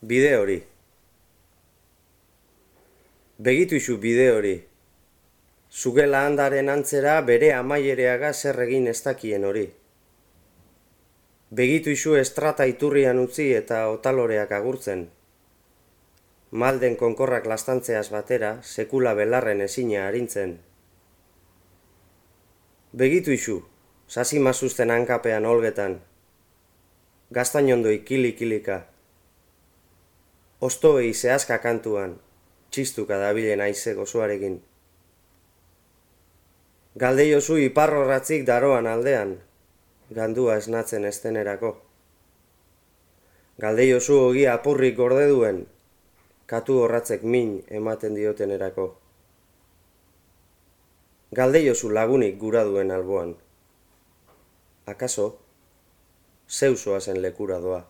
Bide hori. Begitu isu bide hori. Zugela handaren antzera bere amaiereaga zer egin ez dakien hori. Begitu isu estrata iturrian utzi eta otaloreak agurtzen. Malden konkorrak lastantzeaz batera, sekula belarren ezina arintzen. Begitu isu, sasi mazuzten hankapean olgetan. Gaztainondoi kili-kilika. Ostoei zehazka kantuan, txistuka dabilen aize gozoarekin. Galdeiozu iparrorratzik daroan aldean, gandua esnatzen estenerako. Galdeiozu ogia apurrik gorde duen, katu horratzek min ematen diotenerako. Galdeiozu lagunik gura duen alboan. Akaso, zeusoa zen lekura doa.